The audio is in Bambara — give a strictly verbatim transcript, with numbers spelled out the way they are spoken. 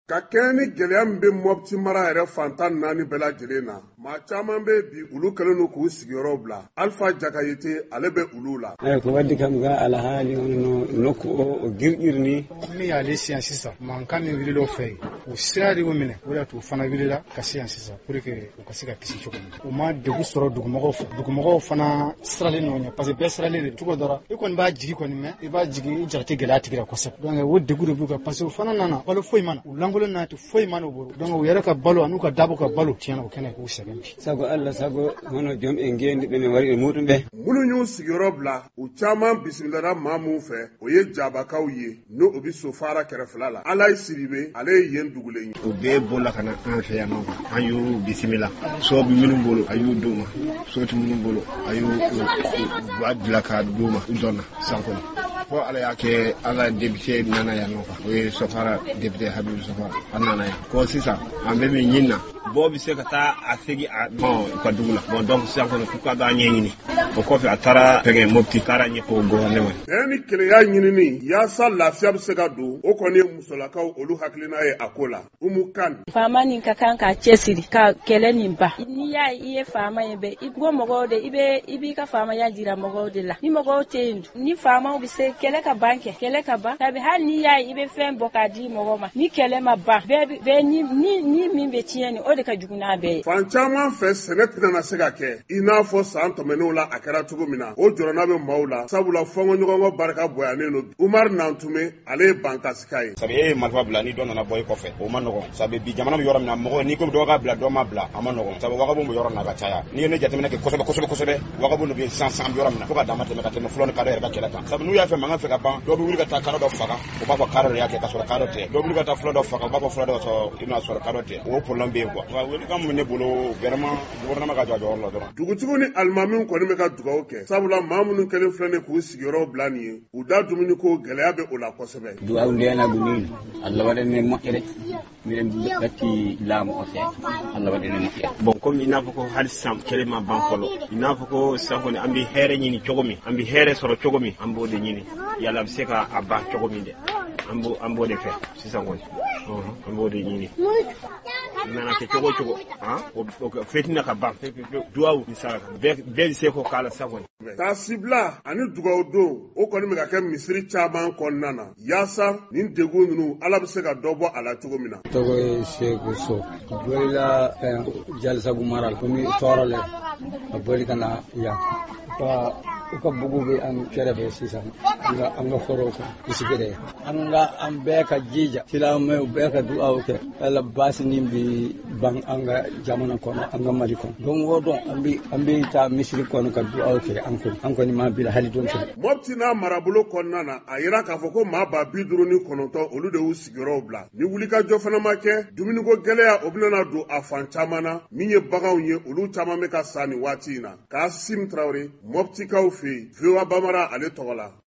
Ka kɛɲɛ ni gɛlɛya min bɛ Mopti mara yɛrɛ fantan naani bɛɛ lajɛlen na, maa caman bɛ bi, olu kɛlen don k'u sigiyɔrɔw bila. Alpha Jakayete, ale bɛ olu la. Eyi ko waddi kam ga alhaali hono nokku o o girƴirni. Min y'ale siyan sisan, mankan min wulila o fɛ yen, o sira de y'u minɛ, o de y'a to u fana wulila ka se yan sisan pour que u ka se ka kisi cogo min. U ma degun sɔrɔ dugumɔgɔw fɛ, dugumɔgɔw fana siralen nɔ ɲɛ, parce que bɛɛ siralen de cogo dɔ la. I kɔni b'a jigi kɔni mɛn, i b'a jigi, i jara tɛ gɛlɛya tigi la kosɛbɛ. Donc o degun de b'u kan, parce que u fana nana, balo foyi ma na, u lankolon n'a tɛ foyi ma n'u bolo. Donc u yɛrɛ ka balo an'u ka dabɔ ka balo tiɲɛna, o kɛnɛ k'u sɛgɛn bi. Sago Allah, sago hono joom en ngendi ɓe min wari e muɗum ɓe. Minnu y'u sigiyɔrɔ bila, u caman bisimilala maa mun fɛ, o ye Jabakaw ye, n'o o bɛ Sofara kɛrɛfɛla la. Alayi Siribe, ale ye yen dugulen ye. U bɛɛ bɔla ka na an fɛ yan nɔ, an y'u bisimila. So bɛ minnu bolo, a y'u d'u ma. So tɛ minnu bolo, a y'u ba bila k'a d'u ma. U dɔnna san kɔnɔ fo Ala y'a kɛ, an ka député nana yan nɔ, o ye Sofara député Habibu Sofara. A nana yan ko sisan an bɛ min ɲini na, bɔɔ bɛ se ka taa a segin a bon u ka dugu la. Bon, donc sisan kɔni k'u ka b'a ɲɛɲini. O kɔfɛ, a taara fɛngɛ Mopti, taara ɲɛfɔ gouvernement. Bɛn ni kelenya ɲinini yaasa lafiya bɛ se ka don, o kɔni ye musolakaw olu hakilina ye a ko la. Umu Kan. Faama nin ka kan k'a cɛsiri ka kɛlɛ nin ban. N'i y'a ye i ye faama ye bɛɛ i ko mɔgɔw de, i bɛ i b'i ka faamaya jira mɔgɔw de la. Ni mɔgɔw tɛ yen, ni faamaw bɛ se kɛlɛ ka ban kɛ, kɛlɛ ka ban sabi. Hali n'i y'a ye i bɛ fɛn bɔ k'a di mɔgɔw ma, ni kɛlɛ ma ban, bɛɛ bɛɛ ni ni ni min bɛ tiɲɛ nin, o de ka jugu n'a bɛɛ ye. Fan caman fɛ, sɛnɛ tɛna se ka kɛ i n'a fɔ san tɛmɛnenw la a kɛra cogo min na. O jɔrɔna bɛ maaw la, sabula fɔnkɔɲɔgɔnkɔ barika bonyanen don. Umar Nantume, ale ye Bankasika ye. Sabu e ye marifa bila, ni dɔ nana bɔ i kɔfɛ, o ma nɔgɔn. Sabu bi jamana bɛ yɔrɔ min na, mɔgɔ n'i ko dɔ ka bila, dɔ ma bila, a ma nɔgɔn. Sabu wagabon bɛ yɔrɔ min na ka caya, n'i ye ne jateminɛ kɛ kosɛbɛ kosɛbɛ kosɛbɛ, wagabon de bɛ san san bɛ yɔrɔ min na fo ka dama tɛmɛ ka tɛmɛ fɔlɔ ni kadɔ yɛrɛ ka kɛlɛ kan. Sabu n'u y'a fɛ mankan fɛ ka ban, dɔ bɛ wuli ka taa kadɔ dɔ faga, o b'a fɔ kadɔ de y'a kɛ ka sɔrɔ kadɔ tɛ. Dɔ bɛ wuli ka taa fula dɔ faga, o b'a fɔ fula dɔ sɔrɔ, i bɛna sɔrɔ kadɔ tɛ. O problème bɛ yen quoi. Nka welekan min bɛ ne bolo, vraiment, gouvernement ka jɔ a jɔyɔrɔ la dɔrɔn. Dugutigiw ni alimamiw kɔni bɛ ka dugawu kɛ, sabula maa minnu kɛlen filɛ nin k'u sigiyɔrɔw bila nin ye, u da dumuniko gɛlɛya bɛ o la kosɛbɛ. Duwaw ndenagu ni Allah waɗane moƴƴere, miɗen ɗatti laamu o seeɗa, Allah waɗane moƴƴere. Bon, komi i n'a fɔ ko hali sisan kɛlɛ ma ban fɔlɔ, i n'a fɔ ko sisan kɔni an bɛ hɛrɛ ɲini cogo min, an bɛ hɛrɛ sɔrɔ cogo min, an b'o de ɲini. Yala a bɛ se ka a ban cogo min dɛ, an b'o an b'o de fɛ sisan kɔni, an b'o de ɲini. Nana kɛ cogo o cogo, han, o fitinɛ ka ban pewu pewu. Duwawu ni saraka bɛɛ bɛɛ bɛ se k'o k'a la sisan kɔni. Taasibila ani dugawu don, o kɔni bɛ ka kɛ misiri caman kɔnɔna na, yaasa nin degun ninnu, Ala bɛ se ka dɔ bɔ a la cogo min na. Tɔgɔ ye Seku So, bolila Jalisagu mara la, komi tɔɔrɔ le a boli ka na yan ka u ka bugu bɛ an kɛrɛfɛ sisan, an ka an ka forow kan u sigire. An ka an bɛɛ ka jija, silamɛw bɛɛ ka duwawu kɛ, Ala baasi nin bi ban an ka jamana kɔnɔ, an ka Mali kɔnɔ. Don o don an bɛ an bɛ taa misiri kɔnɔ ka duwawu kɛ. An kɔni an kɔni ma bila hali don kelen. Mopti n'a marabolo kɔnɔna na, a yira k'a fɔ ko maa ba bi duuru ni kɔnɔntɔn, olu de y'u sigiyɔrɔw bila. Ni wulikajɔ fana ma kɛ, dumuniko gɛlɛya o bɛna don a fan caman na. Min ye baganw ye, olu caman bɛ ka sa nin waati in na. Kasim Tarawele, Moptikaw fɛ yen, V O A Bamara ale tɔgɔ la.